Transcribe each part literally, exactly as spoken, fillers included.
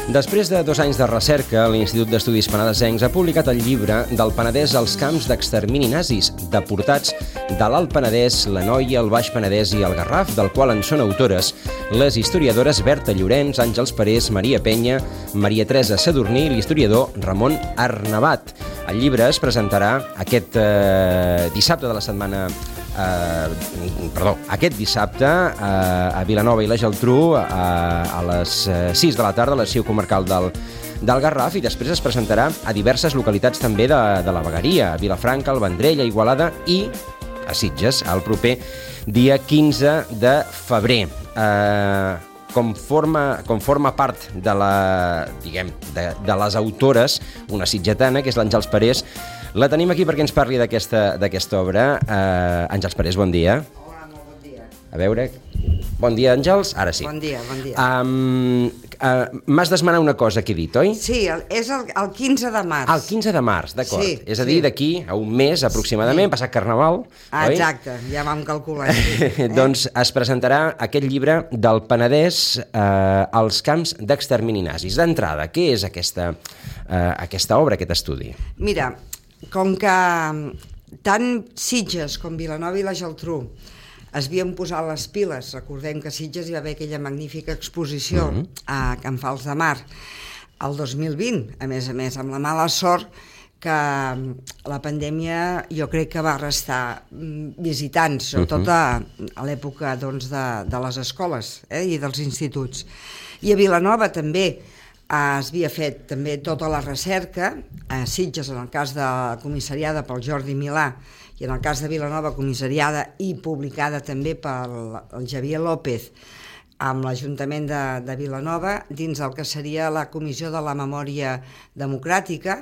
Després de dos anys de recerca, l'Institut d'Estudis Penedesencs ha publicat el llibre del Penedès als camps d'extermini nazis, deportats de l'Alt Penedès, l'Anoia, el Baix Penedès i el Garraf, del qual en són autores les historiadores Berta Llorenç, Àngels Parés, Maria Penya, Maria Teresa Sadurní i l'historiador Ramon Arnabat. El llibre es presentarà aquest eh, dissabte de la setmana Uh, perdó, aquest dissabte uh, a Vilanova i la Geltrú uh, a les sis de la tarda a l'arxiu comarcal del, del Garraf, i després es presentarà a diverses localitats també de, de la vegueria, a Vilafranca, al Vendrell, a Igualada i a Sitges, el proper dia quinze de febrer. Uh, com, forma, com forma part de, la, diguem, de, de les autores, una sitgetana, que és l'Àngels Parés. La tenim aquí perquè ens parli d'aquesta d'aquesta obra. Uh, Àngels Parés, bon dia. Hola, molt bon dia. A veure... Bon dia, Àngels. Ara sí. Bon dia, bon dia. Um, uh, M'has d'esmenar una cosa que he dit, oi? Sí, el, és el, el quinze de març. Ah, el quinze de març, d'acord. Sí, és a dir, sí. d'aquí a un mes aproximadament, Sí. passat Carnaval, Ah, oi? exacte, ja vam calcular. Sí. Eh? Doncs es presentarà aquest llibre del Penedès eh, als camps d'extermini nazis. D'entrada, què és aquesta, eh, aquesta obra, aquest estudi? Mira, com que tant Sitges com Vilanova i la Geltrú es havien posat les piles, recordem que a Sitges hi va haver aquella magnífica exposició mm-hmm. a Can Fals de Mar el dos mil vint, a més a més, amb la mala sort que la pandèmia jo crec que va restar visitants, sobretot a, a l'època doncs, de, de les escoles eh, i dels instituts. I a Vilanova també eh, es havia fet també tota la recerca, a Sitges en el cas de comissariada pel Jordi Milà i en el cas de Vilanova comissariada i publicada també pel el Javier López amb l'Ajuntament de, de Vilanova dins el que seria la Comissió de la Memòria Democràtica.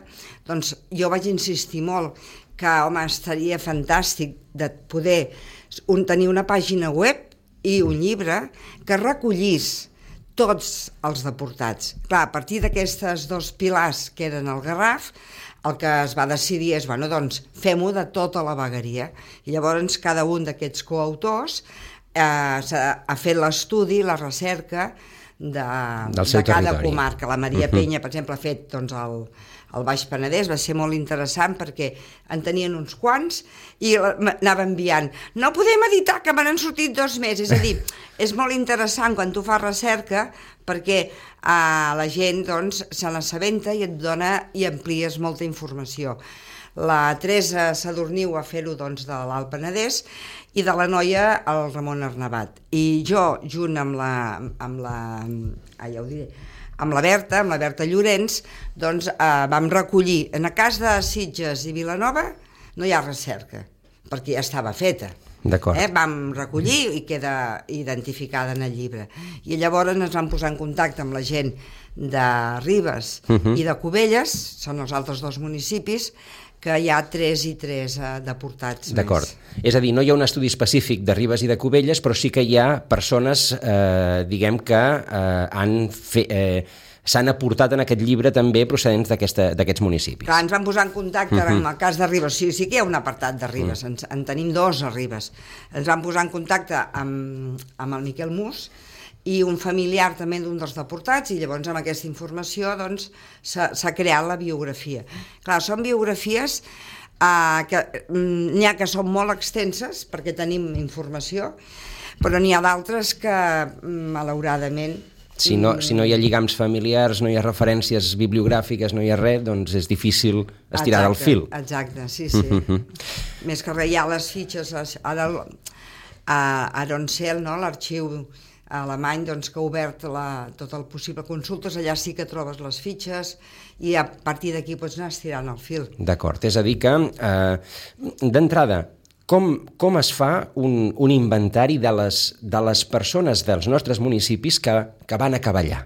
Doncs jo vaig insistir molt que, home, estaria fantàstic de poder un, tenir una pàgina web i un llibre que recollís tots els deportats. Clar, a partir d'aquestes dos pilars que eren el Garraf, el que es va decidir és, bueno, doncs, fem-ho de tota la vegueria. I llavors cada un d'aquests coautors eh, ha fet l'estudi, la recerca de, de cada territori. comarca. La Maria uh-huh. Penya, per exemple, ha fet doncs, el, el Baix Penedès, va ser molt interessant perquè en tenien uns quants i anava enviant. No podem editar, que me n'han sortit dos més. És a dir, és molt interessant quan tu fas recerca perquè eh, la gent doncs, se n'assabenta i et dona i amplies molta informació. La Teresa Sadurní va fer-ho doncs, de l'Alt Penedès i de l'Anoia el Ramon Arnabat. I jo, junt amb la, amb la, ah, ja ho diré, amb la Berta, amb la Berta Llorenç, doncs eh, vam recollir. En el cas de Sitges i Vilanova no hi ha recerca, perquè ja estava feta. D'acord. Eh, vam recollir i queda identificada en el llibre. I llavors ens vam posar en contacte amb la gent de Ribes uh-huh. i de Cubelles, són els altres dos municipis, que hi ha tres i tres eh, deportats. D'acord. Més. És a dir, no hi ha un estudi específic de Ribes i de Cubelles, però sí que hi ha persones, eh, diguem que eh, han fet... Eh, s'han aportat en aquest llibre també procedents d'aquests municipis. Clar, ens vam posar en contacte uh-huh. amb el cas de Ribes, sí, sí que hi ha un apartat de Ribes, uh-huh. ens, en tenim dos a Ribes. Ens vam posar en contacte amb, amb el Miquel Mus i un familiar també d'un dels deportats, i llavors amb aquesta informació doncs, s'ha creat la biografia. Clar, són biografies eh, que n'hi ha que són molt extenses perquè tenim informació, però n'hi ha d'altres que malauradament Si no, si no hi ha lligams familiars, no hi ha referències bibliogràfiques, no hi ha res, doncs és difícil estirar exacte, del fil. Exacte, sí, sí. Mm-hmm. Més que res hi ha les fitxes, ara a Aroncel, no, l'arxiu alemany, doncs, que ha obert la, tot el possible consultes, allà sí que trobes les fitxes i a partir d'aquí pots anar estirant el fil. D'acord, és a dir que, eh, d'entrada, Com, com es fa un, un inventari de les, de les persones dels nostres municipis que, que van acabar allà?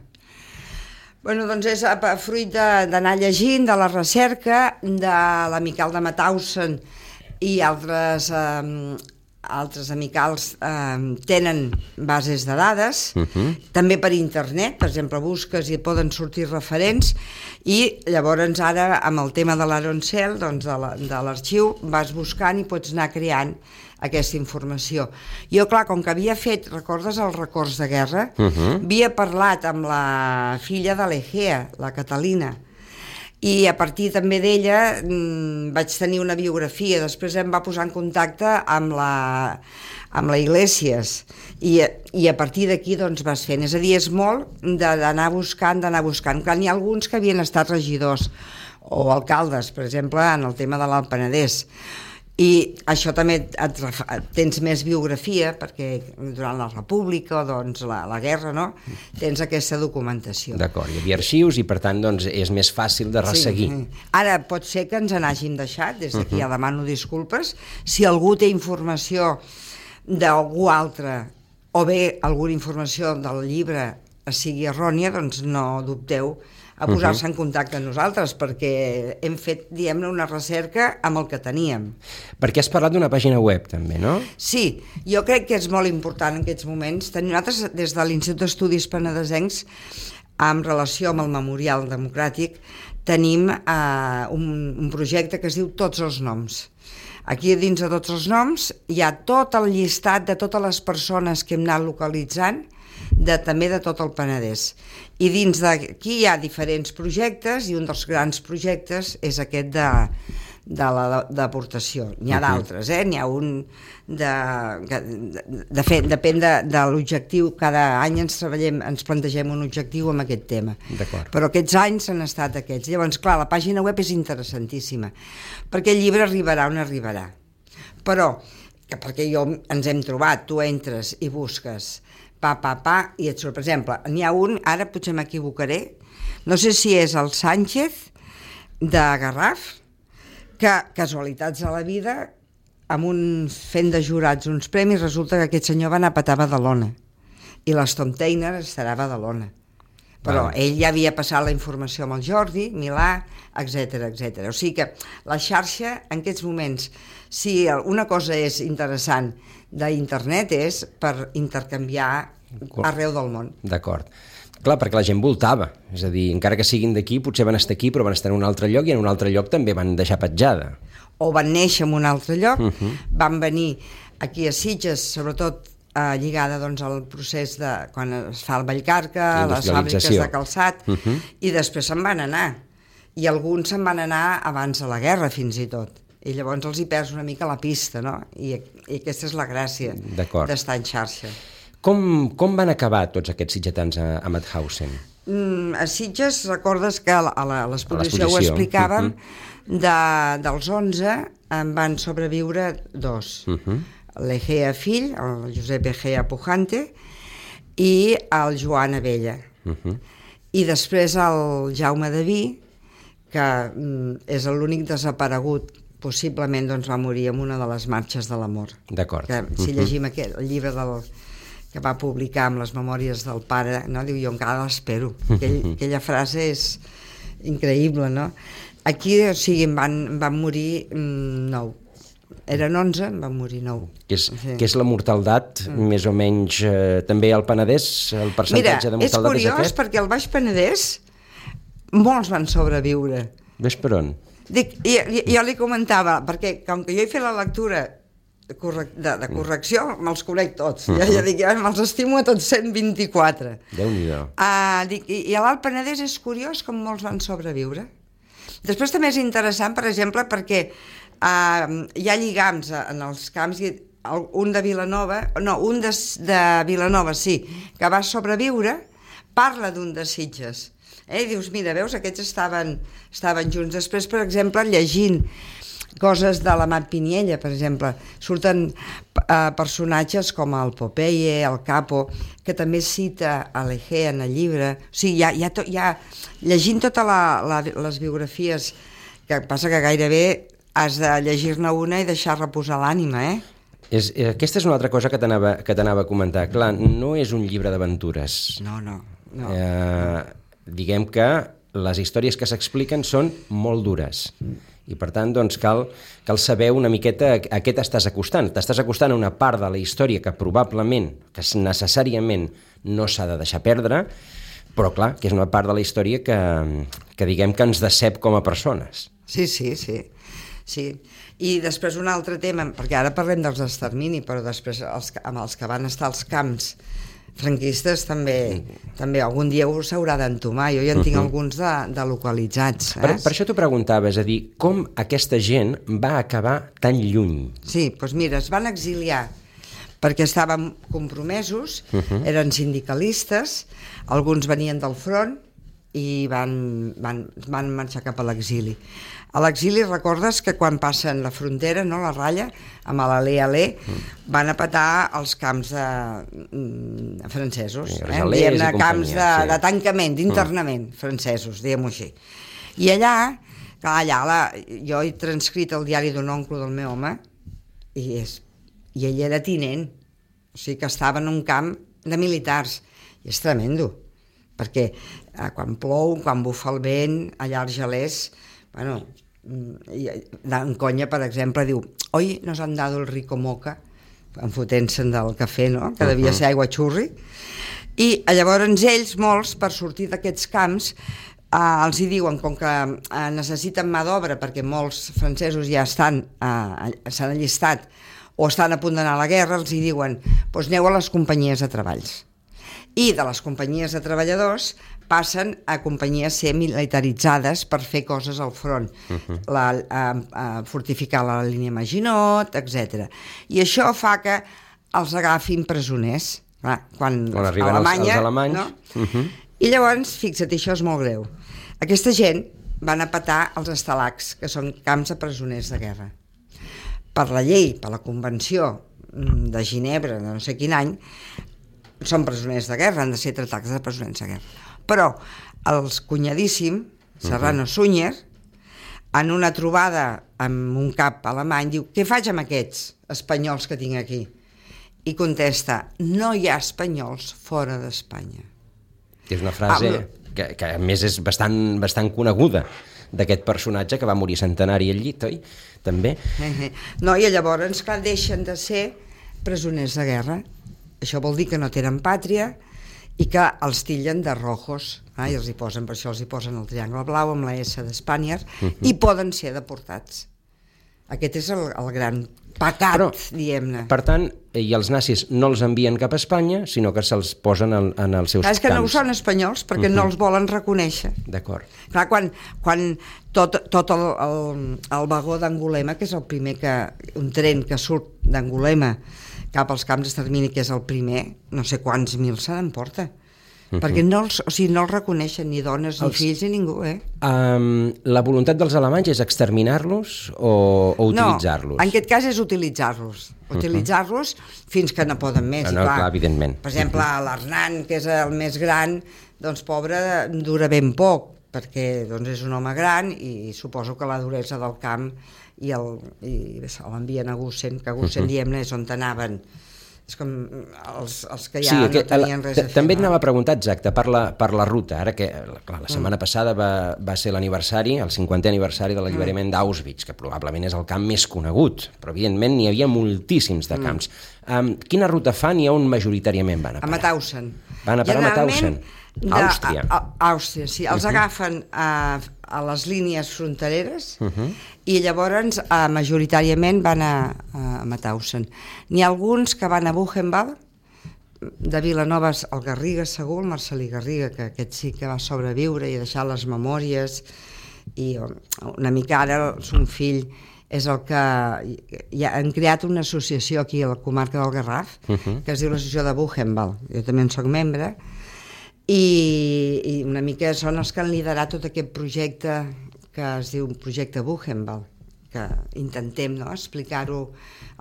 Bueno, doncs és fruit d'anar llegint, de la recerca, de l'Amical de Mauthausen i altres eh, altres amicals eh, tenen bases de dades, uh-huh. també per internet, per exemple, busques i poden sortir referents, i llavors ara amb el tema de l'Aroncel, doncs de l'arxiu, vas buscant i pots anar creant aquesta informació. Jo, clar, com que havia fet, recordes els records de guerra? Uh-huh. Havia parlat amb la filla de l'Egea, la Catalina, i a partir també d'ella mmm, vaig tenir una biografia. Després em va posar en contacte amb la, amb la Iglesias i, i a partir d'aquí doncs vas fent. És a dir, és molt d'anar buscant, d'anar buscant. Clar, n'hi ha alguns que havien estat regidors o alcaldes, per exemple, en el tema de l'Alt Penedès. I això també et, tens més biografia, perquè durant la República o doncs, la, la guerra, no? Tens aquesta documentació. D'acord, hi havia arxius i per tant doncs, és més fàcil de resseguir. Sí, sí. Ara pot ser que ens n'hàgim deixat, des d'aquí uh-huh. ja demano disculpes. Si algú té informació d'algú altre o bé alguna informació del llibre sigui errònia, doncs no dubteu a posar-se uh-huh. en contacte amb nosaltres, perquè hem fet, diguem-ne, una recerca amb el que teníem. Perquè has parlat d'una pàgina web, també, no? Sí, jo crec que és molt important en aquests moments. Nosaltres, des de l'Institut d'Estudis Penedesencs, en relació amb el Memorial Democràtic, tenim eh, un, un projecte que es diu Tots els noms. Aquí dins de Tots els noms hi ha tot el llistat de totes les persones que hem anat localitzant, de, també de tot el Penedès. I dins d'aquí hi ha diferents projectes i un dels grans projectes és aquest de, de la deportació. N'hi ha d'altres, eh? N'hi ha un de... De, de fet, depèn de, de l'objectiu. Cada any ens treballem, ens plantegem un objectiu amb aquest tema. Però aquests anys han estat aquests. Llavors, clar, la pàgina web és interessantíssima, perquè el llibre arribarà on arribarà. Però, que perquè jo ens hem trobat, tu entres i busques pa, pa, pa, i et surt, per exemple, n'hi ha un, ara potser m'equivocaré, no sé si és el Sánchez de Garraf, que, casualitats de la vida, amb un fent de jurats uns premis, resulta que aquest senyor va anar a petar a Badalona, i l'Stom Teiner estarà a Badalona. Però ah. ell ja havia passat la informació amb el Jordi, Milà, etcètera, etcètera. O sigui que la xarxa, en aquests moments, si una cosa és interessant d'internet és per intercanviar arreu del món. D'acord. Clar, perquè la gent voltava, és a dir, encara que siguin d'aquí, potser van estar aquí, però van estar en un altre lloc i en un altre lloc també van deixar petjada. O van néixer en un altre lloc, uh-huh. van venir aquí a Sitges, sobretot eh, lligada doncs, al procés de quan es fa el Vallcarca, les fàbriques de calçat, uh-huh. i després se'n van anar. I alguns se'n van anar abans de la guerra, fins i tot. I llavors els hi perds una mica la pista, no? I, i aquesta és la gràcia d'estar en xarxa. Com, com van acabar tots aquests sitgetans a, a Mauthausen? Mm, a Sitges, recordes que a l'exposició ho explicàvem, uh-huh. de, dels onze en van sobreviure dos. Uh-huh. L'Egea fill, el Josep Egea Pujante, i el Joan Abella. Uh-huh. I després el Jaume Daví, que mm, és l'únic desaparegut, possiblement doncs, va morir en una de les marxes de l'amor. D'acord. Que, si uh-huh. llegim aquest, el llibre del, que va publicar amb les memòries del pare, no? Diu, jo encara l'espero. Aquell, aquella frase és increïble, no? Aquí, o sigui, en van, van morir mm, nou. Eren onze, en van morir nou. Que és, sí. que és la mortaldat, mm. més o menys, eh, també al Penedès, el percentatge Mira, de mortaldat és, és curiós, és perquè al Baix Penedès molts van sobreviure. Ves per on? Dic, jo, jo li comentava, perquè com que jo he fet la lectura de, correc de, de correcció, me'ls conec tots. Uh-huh. Ja, ja dic, ja me'ls estimo a tots cent vint-i-quatre. Déu-n'hi-do. Uh, dic, I, i a l'Alt Penedès és curiós com molts van sobreviure. Després també és interessant, per exemple, perquè uh, hi ha lligams en els camps, i un de Vilanova, no, un de, de Vilanova, sí, que va sobreviure, parla d'un de Sitges. Eh? I dius, mira, veus, aquests estaven, estaven junts. Després, per exemple, llegint coses de la Mat Piniella, per exemple, surten eh, personatges com el Popeye, el Capo, que també cita a l'Egea en el llibre. O sigui, hi ha, hi ha, to, hi ha llegint totes la, les biografies, que passa que gairebé has de llegir-ne una i deixar reposar l'ànima, eh? És, aquesta és una altra cosa que t'anava que t'anava a comentar. Clar, no és un llibre d'aventures. No, no. no. Eh, diguem que les històries que s'expliquen són molt dures I per tant, doncs, cal, cal saber una miqueta a, a què t'estàs acostant. T'estàs acostant a una part de la història que probablement, que necessàriament no s'ha de deixar perdre, però clar, que és una part de la història que, que diguem que ens decep com a persones. Sí, sí, sí. sí. I després un altre tema, perquè ara parlem dels d'extermini, però després els, amb els que van estar als camps franquistes també, també algun dia us haurà d'entomar. Jo ja en tinc uh-huh. alguns de, de localitzats. Eh? Per, per això t'ho preguntava, és a dir, com aquesta gent va acabar tan lluny? Sí, doncs mira, es van exiliar perquè estaven compromesos, uh-huh. eren sindicalistes, alguns venien del front i van, van, van marxar cap a l'exili. A l'exili recordes que quan passen la frontera, no, la ratlla, amb l'Alé-Alé, mm. van a petar els camps de, mm, francesos, sí, eh? diguem-ne, camps de, sí. de tancament, d'internament, mm. francesos, diguem-ho així. I allà, clar, allà la, jo he transcrit el diari d'un oncle del meu home, i, és, i ell era tinent, o sigui que estava en un camp de militars, i és tremendo, perquè eh, quan plou, quan bufa el vent, allà als gelers, bueno, en conya, per exemple, diu «Hoy nos han dado el rico moca», enfotent-se'n del cafè, no?, que devia ser aigua xurri, i llavors ells, molts, per sortir d'aquests camps, eh, els hi diuen, com que eh, necessiten mà d'obra, perquè molts francesos ja estan, eh, s'han allistat, o estan a punt d'anar a la guerra, els hi diuen «Doncs aneu a les companyies de treballs». I de les companyies de treballadors passen a companyies ser militaritzades per fer coses al front, uh-huh. la, a, a fortificar la línia Maginot, etcètera. I això fa que els agafin presoners, clar, quan, quan arriben Alemanya, els, els alemanys. No? Uh-huh. I llavors, fixa't, això és molt greu. Aquesta gent van a petar els estalacs, que són camps de presoners de guerra. Per la llei, per la Convenció de Ginebra, de no sé quin any, són presoners de guerra, han de ser tractats de presoners de guerra. Però els cunyadíssim, Serrano uh-huh. Sunyer, en una trobada amb un cap alemany, diu «Què faig amb aquests espanyols que tinc aquí?» I contesta «No hi ha espanyols fora d'Espanya». És una frase ah, que, que a més és bastant, bastant coneguda d'aquest personatge que va morir centenari al llit, oi? També. No, i llavors, clar, deixen de ser presoners de guerra. Això vol dir que no tenen pàtria i que els tillen de rojos, eh? I els hi posen, per això els hi posen el triangle blau amb la S d'Espanya, uh-huh. i poden ser deportats. Aquest és el, el gran pecat, però, diguem-ne. Per tant, i els nazis no els envien cap a Espanya, sinó que se'ls posen en, en els seus camps. És que no són espanyols, perquè uh-huh. no els volen reconèixer. D'acord. Clar, quan, quan tot, tot el, el, el vagó d'Angulema, que és el primer que, un tren que surt d'Angulema cap als camps d'extermini, que és el primer, no sé quants mil se n'emporta. Uh-huh. Perquè no els, o sigui, no els reconeixen ni dones, ni els... fills, ni ningú, eh? Um, la voluntat dels alemanys és exterminar-los o, o utilitzar-los? No, en aquest cas és utilitzar-los. Utilitzar-los uh-huh. fins que no poden més. No, no, clar, evidentment. Per exemple, uh-huh. l'Hernan, que és el més gran, doncs, pobre, dura ben poc, perquè doncs, és un home gran i suposo que la duresa del camp i l'envien a Gusen, que a Gusen, uh-huh. diem-ne, és on anaven. És com els, els que ja sí, no tenien res a fer. També et anava a preguntar, exacte, per la, per la ruta. Ara que clar, la setmana mm. passada va, va ser l'aniversari, el cinquantè aniversari de l'alliberament mm. d'Auschwitz, que probablement és el camp més conegut, però evidentment n'hi havia moltíssims de camps. Mm. Um, quina ruta fan i on majoritàriament van a parar? A Mauthausen. Van a parar a Mauthausen. Àustria. A, a, Àustria, sí. Els uh-huh. agafen a, a les línies frontereres uh-huh. i llavors a, majoritàriament van a, a Mauthausen. N'hi ha alguns que van a Buchenwald, de Vilanova al Garriga, segur, el Marcelí Garriga, que aquest sí que va sobreviure i deixar les memòries, i una mica ara son fill és el que ja han creat una associació aquí a la comarca del Garraf, uh-huh. que es diu l'Associació de Buchenwald. Jo també en soc membre, i, i una mica són els que han liderat tot aquest projecte que es diu projecte Buchenwald, que intentem no, explicar-ho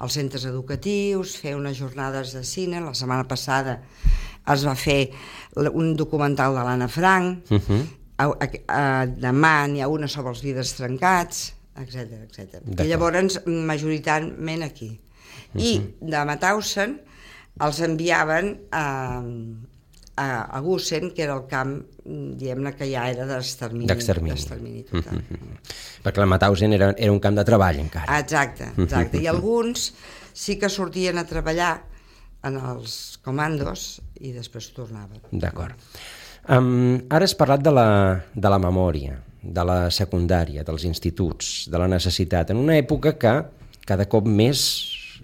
als centres educatius, fer unes jornades de cine. La setmana passada es va fer un documental de l'Anna Frank, uh-huh. a, a, a, demà n'hi ha una sobre els vidres trencats, etcètera, etcètera. I llavors majoritàriament aquí. Uh-huh. I de Mauthausen els enviaven a a, a Gusen, que era el camp, diguem-ne, que ja era d'extermini. D'extermini. total. Mm-hmm. Perquè el Mauthausen era, era un camp de treball, encara. Exacte, exacte. I alguns sí que sortien a treballar en els comandos i després tornaven. D'acord. Um, ara has parlat de la, de la memòria, de la secundària, dels instituts, de la necessitat, en una època que cada cop més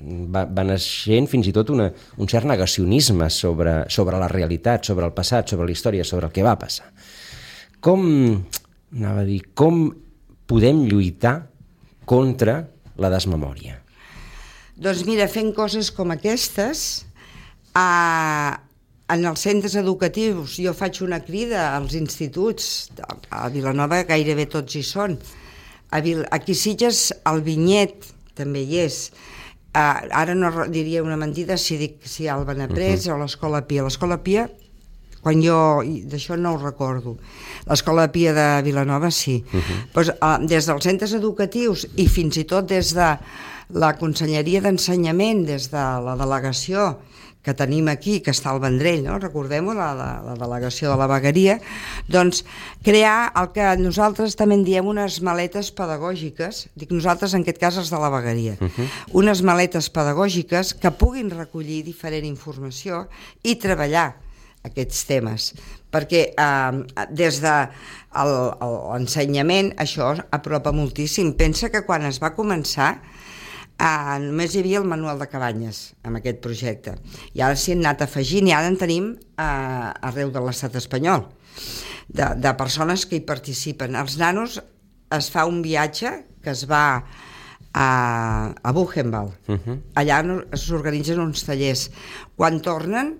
va, va naixent fins i tot una, un cert negacionisme sobre, sobre la realitat, sobre el passat, sobre la història, sobre el que va passar. Com, anava a dir, com podem lluitar contra la desmemòria? Doncs mira, fent coses com aquestes, a, en els centres educatius, jo faig una crida als instituts, a Vilanova gairebé tots hi són, a Vil, aquí Sitges el Vinyet també hi és. Uh, ara no diria una mentida si dic si el Benaprés uh-huh. o l'Escola Pia. L'Escola Pia, quan jo... d'això no ho recordo. L'Escola Pia de Vilanova sí. Uh-huh. Pues, uh, des dels centres educatius i fins i tot des de la Conselleria d'Ensenyament, des de la delegació que tenim aquí, que està al Vendrell, no? Recordem-ho, la, la, la delegació de la vegueria, doncs crear el que nosaltres també en diem unes maletes pedagògiques, dic nosaltres en aquest cas els de la vegueria, uh-huh. unes maletes pedagògiques que puguin recollir diferent informació i treballar aquests temes, perquè eh, des de l'ensenyament això apropa moltíssim. Pensa que quan es va començar Uh, només hi havia el manual de cabanyes amb aquest projecte i ara s'hi han anat afegint i ara en tenim uh, arreu de l'estat espanyol de, de persones que hi participen. Els nanos es fa un viatge que es va a, a Buchenwald, uh-huh. allà s'organitzen uns tallers, quan tornen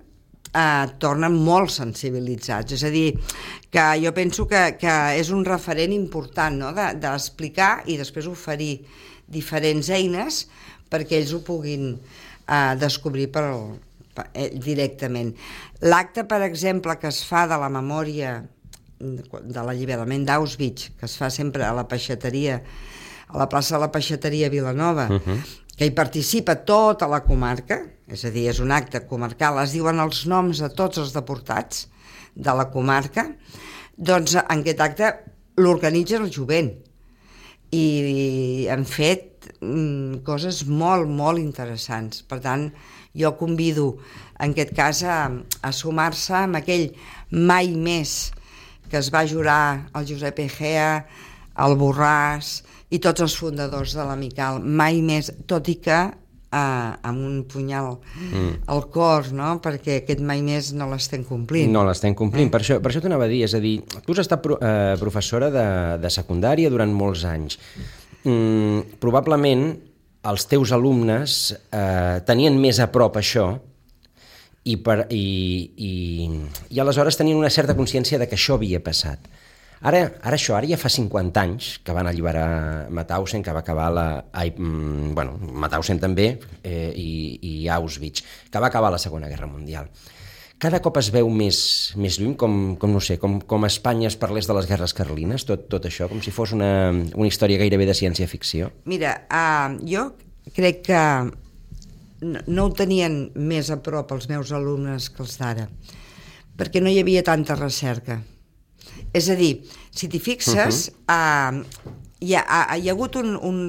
uh, tornen molt sensibilitzats, és a dir que jo penso que, que és un referent important, no? de, d'explicar i després oferir diferents eines perquè ells ho puguin eh, descobrir per, per, eh, directament. L'acte, per exemple, que es fa de la memòria de l'alliberament d'Auschwitz, que es fa sempre a la peixateria, a la plaça de la Peixateria a Vilanova, uh-huh. que hi participa tota la comarca, és a dir, és un acte comarcal, es diuen els noms de tots els deportats de la comarca, doncs en aquest acte l'organitza el jovent. I han fet mm, coses molt, molt interessants. Per tant, jo convido, en aquest cas, a, a sumar-se amb aquell mai més que es va jurar el Josep Egea, el Borràs i tots els fundadors de l'Amical. Mai més, tot i que eh, amb un punyal mm. al cor, no? Perquè aquest mai més no l'estem complint. No l'estem complint, eh? per això, per això t'anava a dir, és a dir, tu has estat pro, eh, professora de, de secundària durant molts anys. Mm, probablement els teus alumnes eh, tenien més a prop això i, per, i, i, i aleshores tenien una certa consciència de que això havia passat. Ara, ara això, ara ja fa cinquanta anys que van alliberar Mauthausen, que va acabar la... Ai, mm, bueno, Mauthausen també, eh, i, i Auschwitz, que va acabar la Segona Guerra Mundial. Cada cop es veu més, més lluny, com, com no sé, com, com Espanya es parlés de les guerres carlines, tot, tot això, com si fos una, una història gairebé de ciència-ficció. Mira, uh, jo crec que no, no ho tenien més a prop els meus alumnes que els d'ara, perquè no hi havia tanta recerca. És a dir, si t'hi fixes, uh-huh. uh, hi, ha, hi ha hagut un, un,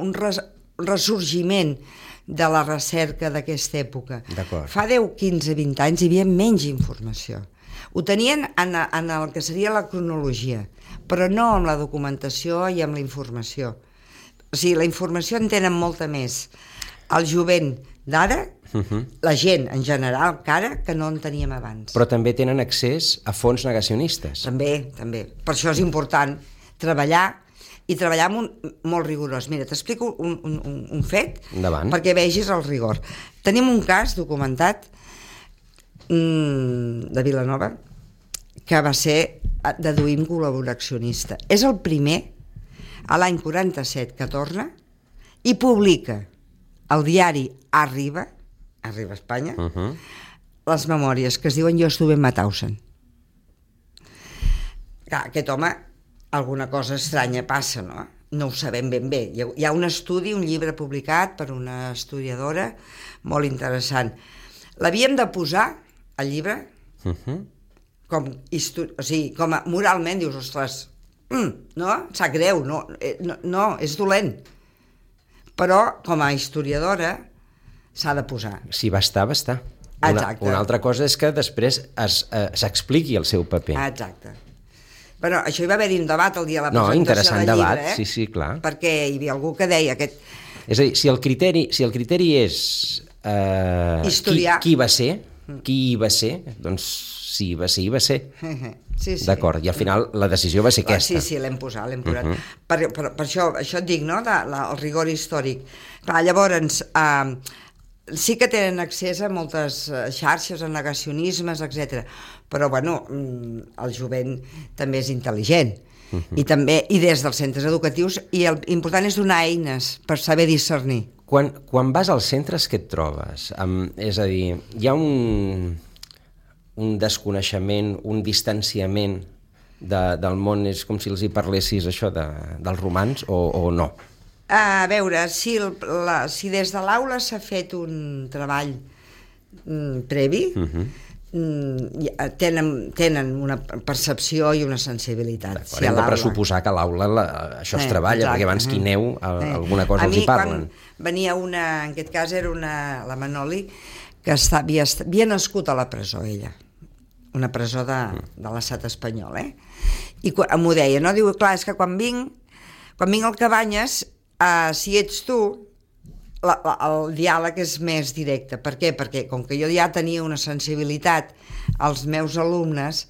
un res, ressorgiment de la recerca d'aquesta època. Fa deu, quinze, vint anys hi havia menys informació. Ho tenien en, en el que seria la cronologia, però no amb la documentació i amb la informació. O sigui, la informació en tenen molta més. El jovent d'ara, uh-huh. la gent en general, cara, que no en teníem abans. Però també tenen accés a fons negacionistes. També, també. Per això és important treballar i treballar amb un, molt rigorós. Mira, t'explico un, un, un fet Endavant. Perquè vegis el rigor. Tenim un cas documentat mmm, de Vilanova que va ser, deduïm, col·laboracionista. És el primer, a l'any quaranta-set, que torna i publica el diari Arriba, Arriba Espanya, uh-huh. les memòries que es diuen Jo estuve en Mauthausen. Clar, aquest home, alguna cosa estranya passa, no? No ho sabem ben bé. Hi ha un estudi, un llibre publicat per una estudiadora molt interessant. L'havíem de posar, el llibre, Uh -huh. Com, o sigui, com a, moralment dius, ostres, mm, no? Sap greu, no, no, no, és dolent. Però, com a historiadora, s'ha de posar. Si va estar, va estar. Una, una altra cosa és que després s'expliqui el seu paper. Exacte. Bueno, això hi va haver-hi un debat el dia de la no, presentació del debat, llibre, eh? Sí, sí, clar. Perquè hi havia algú que deia aquest... És a dir, si el criteri, si el criteri és eh, historiar... qui, qui va ser, qui hi va ser, doncs si va ser, hi va ser. Sí, sí. D'acord, i al final la decisió va ser aquesta. Sí, sí, l'hem posat, l'hem posat. Uh -huh. per, per, per això, això et dic, no?, de, la, el rigor històric. Clar, llavors, eh, sí que tenen accés a moltes xarxes, a negacionismes, etcètera. Però, bueno, el jovent també és intel·ligent. Uh -huh. I també, i des dels centres educatius, i el important és donar eines per saber discernir. Quan, quan vas als centres, què et trobes? Um, és a dir, hi ha un, un desconeixement, un distanciament de, del món, és com si els hi parlessis això de, dels romans, o, o no? A veure, si, el, la, si des de l'aula s'ha fet un treball mm, previ, uh -huh. mm, tenen, tenen una percepció i una sensibilitat. Si hem de pressuposar que a l'aula això es eh, treballa, exacte, perquè abans que hi aneu eh. alguna cosa a els hi parlen. A mi, quan venia una, en aquest cas era una, la Manoli, que està, havia, havia nascut a la presó, ella, una presó de, de l'estat espanyol, eh? I m'ho deia, no? Diu, clar, és que quan vinc, quan vinc al Cabanyes, Uh, si ets tu, la, la, el diàleg és més directe. Per què? Perquè com que jo ja tenia una sensibilitat, els meus alumnes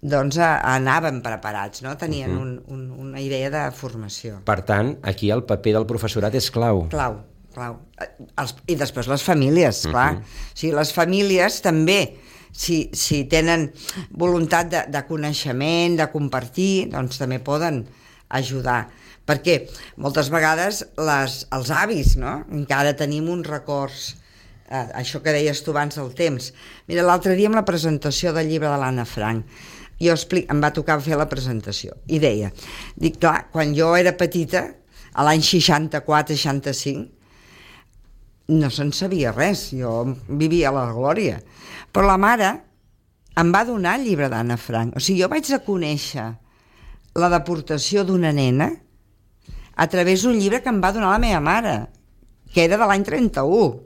doncs uh, anaven preparats, no? Tenien uh -huh. un, un, una idea de formació. Per tant, aquí el paper del professorat és clau. Clau, clau. Els, I després les famílies, clar. Uh -huh. O sigui, les famílies també, si, si tenen voluntat de, de coneixement, de compartir, doncs també poden ajudar. Perquè moltes vegades les, els avis, no?, encara tenim uns records, eh, això que deies tu abans del temps. Mira, l'altre dia amb la presentació del llibre de l'Anna Frank, jo explic, em va tocar fer la presentació, i deia, dic, clar, quan jo era petita, a l'any seixanta-quatre seixanta-cinc, no se'n sabia res, jo vivia a la glòria. Però la mare em va donar el llibre d'Anna Frank. O sigui, jo vaig a conèixer la deportació d'una nena a través d'un llibre que em va donar la meva mare, que era de l'any trenta-u.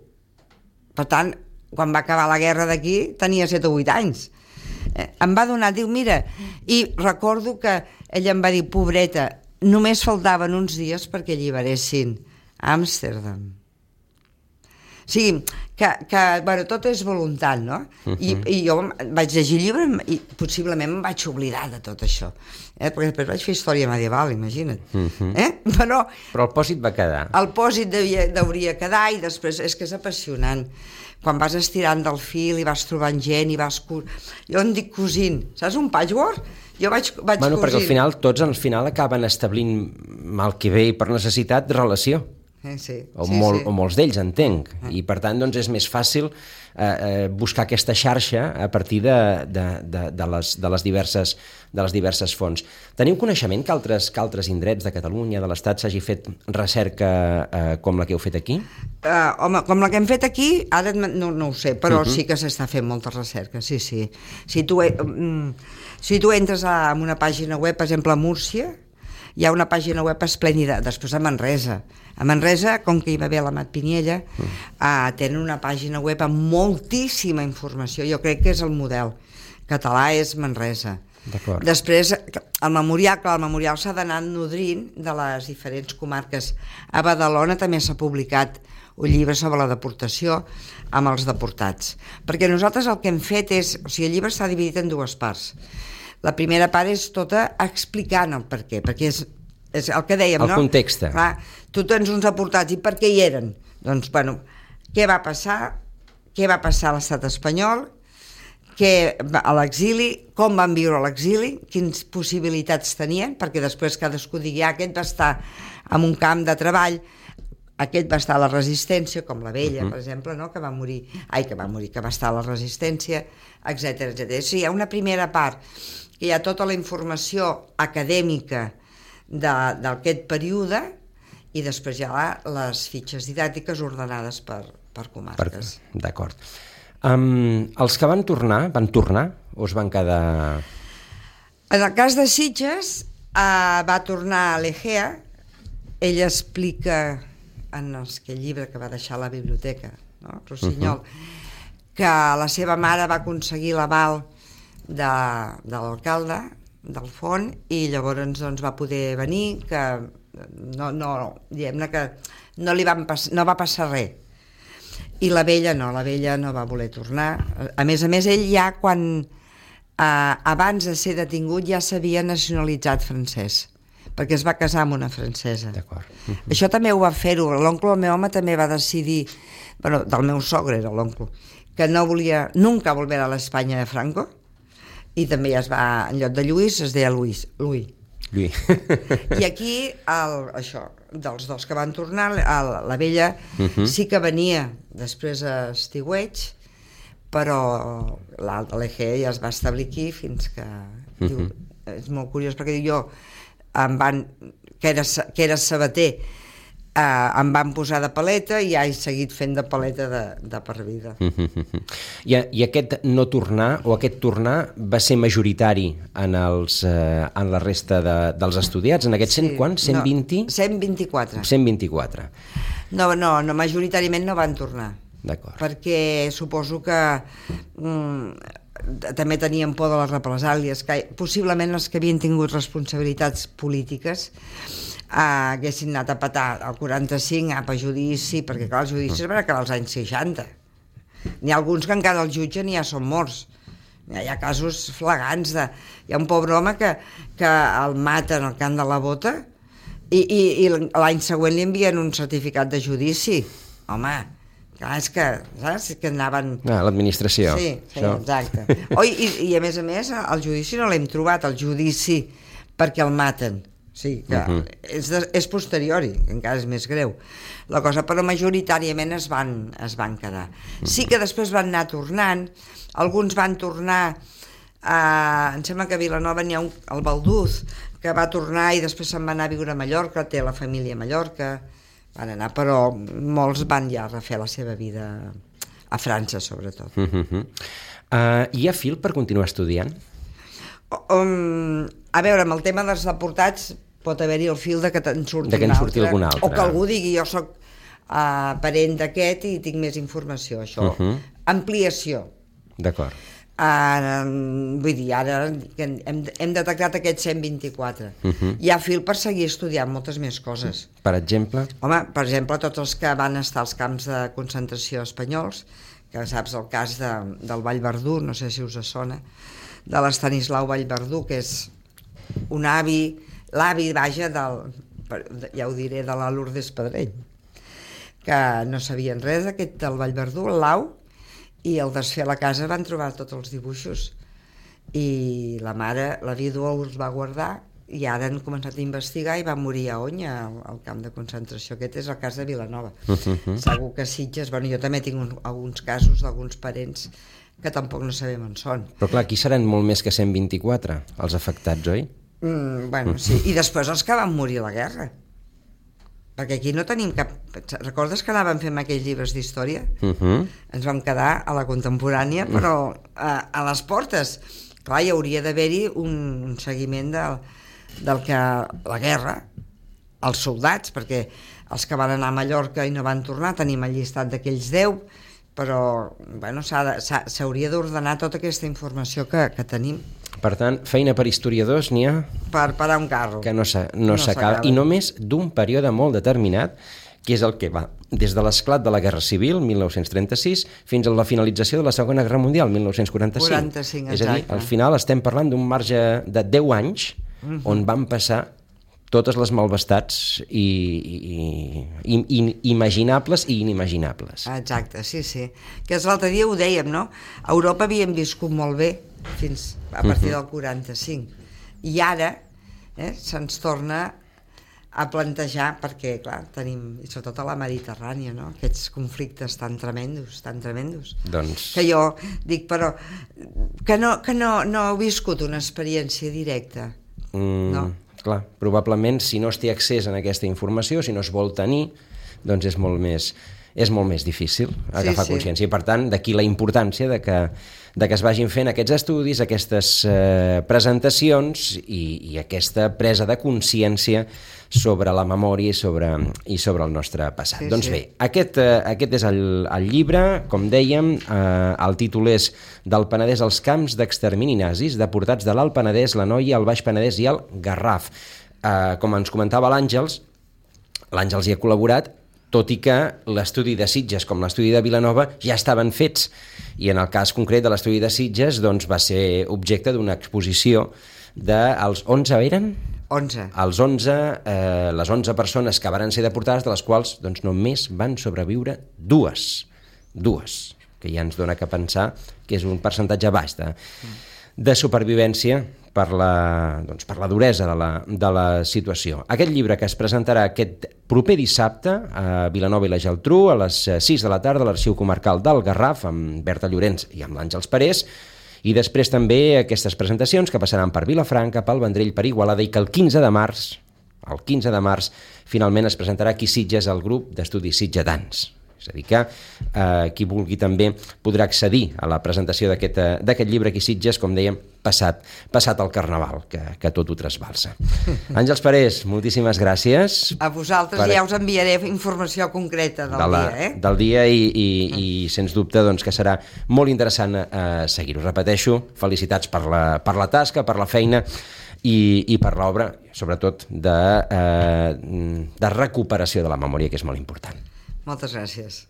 Per tant, quan va acabar la guerra d'aquí, tenia set o vuit anys. Eh, em va donar, diu, mira, i recordo que ella em va dir, pobreta, només faltaven uns dies perquè alliberessin Amsterdam. O sigui, que, que bueno, tot és voluntat, no? Uh-huh. I, I jo vaig llegir el llibre i possiblement em vaig oblidar de tot això. Eh? Perquè després vaig fer història medieval, imagina't. Uh-huh. eh? Però, Però el pòsit va quedar. El pòsit devia, hauria quedar i després és que és apassionant. Quan vas estirant del fil i vas trobant gent i vas... Jo en dic cosint. Saps un patchwork? Jo vaig, vaig bueno, cosint. Perquè al final, tots al final acaben establint, mal que bé i per necessitat, relació. Eh, sí, o, sí, molt, sí. o molts d'ells, entenc. Ah. I per tant, doncs, és més fàcil eh, eh, buscar aquesta xarxa a partir de, de, de, de, les, de, les diverses, de les diverses fonts. Teniu coneixement que altres, que altres indrets de Catalunya, de l'Estat, s'hagi fet recerca eh, com la que heu fet aquí? Uh, home, com la que hem fet aquí, ara no, no ho sé, però uh -huh. sí que s'està fent molta recerca, sí, sí. Si tu, um, si tu entres a, en una pàgina web, per exemple, a Múrcia, hi ha una pàgina web esplèndida, després a Manresa. A Manresa, com que hi va haver l'Amat Piniella, mm. uh, tenen una pàgina web amb moltíssima informació. Jo crec que és el model català, és Manresa. Després, el memorial, clar, el memorial s'ha d'anar nodrint de les diferents comarques. A Badalona també s'ha publicat un llibre sobre la deportació amb els deportats. Perquè nosaltres el que hem fet és... O sigui, el llibre està dividit en dues parts. La primera part és tota explicant el per què, perquè és, és el que dèiem, el no? El context. Clar, tu tens uns deportats, i per què hi eren? Doncs, bueno, què va passar? Què va passar a l'estat espanyol? Què, a l'exili, com van viure a l'exili, quines possibilitats tenien, perquè després cadascú digui, ah, aquest va estar en un camp de treball, aquest va estar a la resistència, com la Vella, uh-huh. per exemple, no? que va morir, ai, que va morir, que va estar a la resistència, etcètera, etcètera. Sí, hi ha una primera part, que hi ha tota la informació acadèmica d'aquest període, i després hi ha les fitxes didàctiques ordenades per, per comarques. D'acord. Um, els que van tornar, van tornar o es van quedar... En el cas de Sitges, uh, va tornar a l'Egea. Ell explica en el llibre que va deixar a la biblioteca, no? Rossinyol, uh-huh. que la seva mare va aconseguir l'aval de, de l'alcalde del Font i llavors doncs, va poder venir, que no, no, diguem-ne que no, li van pas, no va passar res. I la vella no, la vella no va voler tornar. A més a més, ell ja quan eh, abans de ser detingut ja s'havia nacionalitzat francès, perquè es va casar amb una francesa. D'acord. Uh-huh. Això també ho va fer-ho. L'oncle del meu home també va decidir, bueno, del meu sogre era l'oncle, que no volia nunca volver a l'Espanya de Franco, i també es va, en lloc de Lluís, es deia Luis, Louis. Lluís. I aquí, el, això, dels dos que van tornar, el, la vella uh-huh. sí que venia després a Estiueig, però l'Egea ja es va establir aquí fins que... Uh-huh. Diu, és molt curiós, perquè jo em van, que era, que era sabater, Uh, em van posar de paleta i ja he seguit fent de paleta de, de per vida. Mm-hmm. I, I aquest no tornar, o aquest tornar, va ser majoritari en, els, uh, en la resta de, dels estudiats? En aquest sí, cent quant? cent vint? No, cent vint-i-quatre. cent vint-i-quatre. No, no, no, majoritàriament no van tornar. D'acord. Perquè suposo que mm, també tenien por de les represàlies, que possiblement els que havien tingut responsabilitats polítiques Uh, haguessin anat a petar el quaranta-cinc a per judici, perquè clar, els judicis van acabar als anys seixanta. N'hi ha alguns que encara el jutgen i ja són morts. Hi ha casos flagants de... Hi ha un pobre home que, que el maten al camp de la Bota i, i, i l'any següent li envien un certificat de judici. Home, clar, és que, saps? Que anaven... Ah, l'administració. Sí, sí, això. Exacte. Oh, i, I a més a més, el judici no l'hem trobat, el judici perquè el maten. Sí, que uh-huh. és, de, és posteriori, que encara és més greu. La cosa, però majoritàriament es van, es van quedar. Uh-huh. Sí que després van anar tornant, alguns van tornar, a, em sembla que a Vilanova n'hi ha un, el Balduz, que va tornar i després se'n va anar a viure a Mallorca, té la família a Mallorca, van anar, però molts van ja refer la seva vida a França, sobretot. Uh-huh. Uh, hi ha fil per continuar estudiant? Um, a veure, amb el tema dels deportats pot haver-hi el fil de que en surti, de que en surti algun altre. O que algú digui, jo soc uh, parent d'aquest i tinc més informació, això. Uh-huh. Ampliació. D'acord. Uh, vull dir, ara hem, hem detectat aquest cent vint-i-quatre. Uh-huh. Hi ha fil per seguir estudiant moltes més coses. Per exemple? Home, per exemple, tots els que van estar als camps de concentració espanyols, que saps el cas de, del Vallverdú, no sé si us sona, de l'Estanislau Vallverdú, que és un avi, l'avi, vaja, del, ja ho diré, de la Lourdes Pedrell, que no sabien res d'aquest del Vallverdú, el Lau, i al desfer la casa van trobar tots els dibuixos. I la mare, la vídua, els va guardar i ara han començat a investigar i va morir a Onya, al, al camp de concentració. Aquest és el cas de Vilanova. Uh-huh. Segur que Sitges, bueno, jo també tinc un, alguns casos d'alguns parents que tampoc no sabem on són. Però clar, aquí seran molt més que cent vint-i-quatre, els afectats, oi? Mm, bueno, sí. I després els que van morir a la guerra. Perquè aquí no tenim cap... Recordes que anàvem fent aquells llibres d'història? Uh-huh. Ens vam quedar a la contemporània, però a, a les portes. Clar, hi hauria d'haver-hi un, un seguiment del, del que... la guerra, els soldats, perquè els que van anar a Mallorca i no van tornar, tenim el llistat d'aquells deu, però bueno, s'hauria d'ordenar tota aquesta informació que, que tenim. Per tant, feina per historiadors n'hi ha... Per parar un carro. Que no s'acaba. I només d'un període molt determinat, que és el que va des de l'esclat de la Guerra Civil, mil nou-cents trenta-sis, fins a la finalització de la Segona Guerra Mundial, mil nou-cents quaranta-cinc. quaranta-cinc, és a dir, al final estem parlant d'un marge de deu anys uh-huh. on van passar totes les malvestats i, i, i, i imaginables i inimaginables. Exacte, sí, sí. Que l'altre dia ho dèiem, no? A Europa havíem viscut molt bé fins a partir del quaranta-cinc. I ara eh, se'ns torna a plantejar, perquè, clar, tenim, i sobretot a la Mediterrània, no? Aquests conflictes tan tremendos, tan tremendos. Doncs... Que jo dic, però, que no, que no, no heu viscut una experiència directa, mm, no? Clar, probablement, si no es té accés a aquesta informació, si no es vol tenir, doncs és molt més... és molt més difícil agafar sí, sí. consciència. I, per tant, d'aquí la importància de que, de que es vagin fent aquests estudis, aquestes eh, presentacions i, i aquesta presa de consciència sobre la memòria i sobre, i sobre el nostre passat. Sí, doncs sí. bé, aquest, eh, aquest és el, el llibre, com dèiem, eh, el títol és Del Penedès als camps d'extermini nazis, deportats de l'Alt Penedès, l'Anoia, el Baix Penedès i el Garraf. Eh, com ens comentava l'Àngels, l'Àngels hi ha col·laborat, tot i que l'estudi de Sitges com l'estudi de Vilanova ja estaven fets, i en el cas concret de l'estudi de Sitges doncs, va ser objecte d'una exposició dels onze eren? onze. Els onze, eh, les onze persones que varen ser deportades, de les quals doncs, només van sobreviure dues. Dues, que ja ens dona que pensar que és un percentatge baix de, de supervivència per la, doncs, per la duresa de la, de la situació. Aquest llibre que es presentarà aquest proper dissabte a Vilanova i la Geltrú a les sis de la tarda a l'Arxiu Comarcal del Garraf amb Berta Llorenç i amb l'Àngels Parés, i després també aquestes presentacions que passaran per Vilafranca, pel Vendrell, per Igualada, i que el quinze de març, el quinze de març, finalment es presentarà aquí a Sitges el grup d'estudis sitgetans. És a dir que eh, qui vulgui també podrà accedir a la presentació d'aquest eh, d'aquest llibre aquí a Sitges, com dèiem, passat, passat el Carnaval, que, que tot ho trasbalsa. Àngels Parés, moltíssimes gràcies. A vosaltres per... ja us enviaré informació concreta del de la, dia, eh? Del dia i, i, i sens dubte doncs, que serà molt interessant eh, seguir-ho. Repeteixo, felicitats per la, per la tasca, per la feina i, i per l'obra, sobretot de, eh, de recuperació de la memòria, que és molt important. Moltes gràcies.